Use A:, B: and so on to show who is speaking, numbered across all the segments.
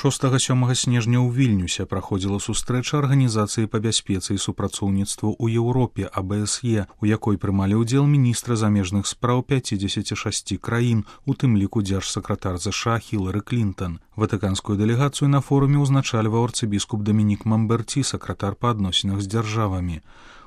A: 6-7 снежня ў Вільнюсе праходзіла сустрэча Арганізацыі па бяспецы і супрацоўніцтву ў Еўропе АБСЕ, у якой прымалі ўдзел міністры замежных спраў 56 краін, у тым ліку дзяржсакратар ЗША Хілары Клінтон. Ватыканскую дэлегацыю на форуме ўзначальваў арцыбіскуп Дамінік Мамберці, сакратар па адносінах з дзяржавамі.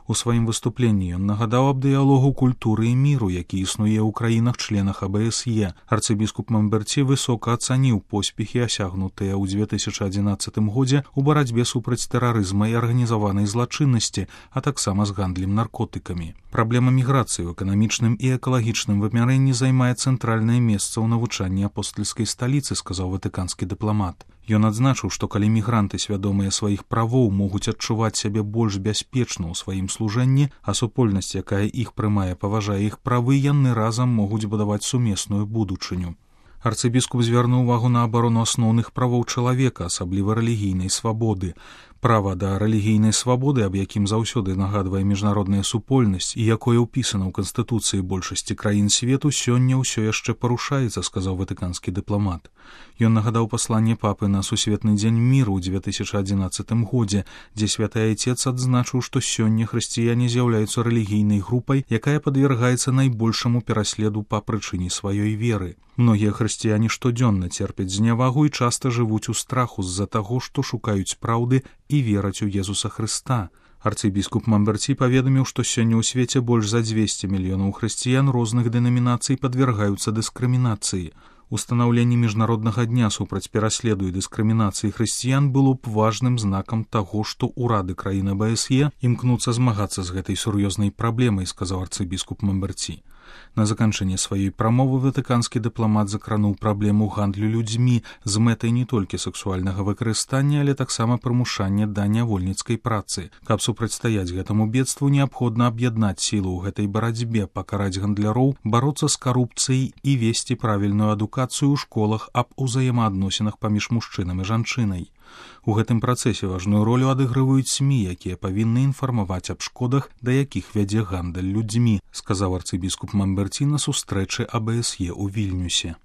A: У сваім выступленні ён нагадаў аб дыялогу культуры і міру, які існуе ў краінах-членах АБСЕ. Арцыбіскуп Мамберці высока ацаніў поспехі, асягнутыя ў 2011 годзе ў барацьбе супраць тэрарызма і арганізаванай злачыннасці, а таксама з гандлем наркотыкамі. Праблема міграцыі ў эканамічным і экалагічным вымярэнні займае цэнтральнае месца ў навучанні апостальскай сталіцы, сказаў ватыканскі дыпламат. Ён адзначыў, што калі мігранты, свядомыя сваіх правоў, могуць адчуваць сябе больш бяспечна ў сваім служэнні, а супольнасць, якая іх прымае, паважае іх правы, яны разам могуць будаваць сумесную будучыню. Арцыбіскуп звярнуў увагу на абарону асноўных правоў чалавека, асабліва рэлігійнай свабоды. Права да рэлігійнай свабоды, аб якім заўсёды нагадвае міжнародная супольнасць і якое ўпісана ў Канстытуцыі большасці краін свету, сёння ўсё яшчэ парушаецца, сказаў ватыканскі дыпламат. Ён нагадаў пасланне папы на Сусветны дзень міру ў 2011 годзе, дзе святы айцец адзначыў, што сёння хрысціяне з'яўляюцца рэлігійнай групай, якая падвергаецца найбольшаму пераследу па прычыне сваёй веры. Многія хрысціяне штодзённа церпяць знявагу і часта жывуць у страху з-за таго, што шукаюць праўды і вераць у Езуса Хрыста. Арцыбіскуп Мамберці паведаміў, што сёння ў свеце больш за 200 мільёнаў хрысціян розных дэнамінацый падвяргаюцца дыскрымінацыі. Устанаўленне міжнароднага дня супраць пераследу і дыскрымінацыі хрысціян было б важным знакам таго, што ўрады краін АБСЕ імкнуцца змагацца з гэтай сур'ёзнай праблемай, сказаў арцыбіскуп Мамберці. На заканчэнне сваёй прамовы ватыканскі дыпламат закрануў праблему гандлю людзьмі з мэтай не толькі сексуальнага выкарыстання, але таксама прымушання да нявольніцкай працы. Каб супрацьстаяць гэтаму бедству, неабходна аб'яднаць сілу ў гэтай барацьбе, пакараць гандляроў, бароцца з карупцыяй і весці правільную адукацыю ў школах аб узаемаадносінах паміж мужчынам і жанчынай. У гэтым працэсе важную ролю адыгрываюць СМІ, якія павінны інфармаваць аб шкодах, да якіх вядзе гандаль людзьмі, сказаў арцыбіскуп Мамберці на сустрэчы АБСЕ ў Вільнюсе.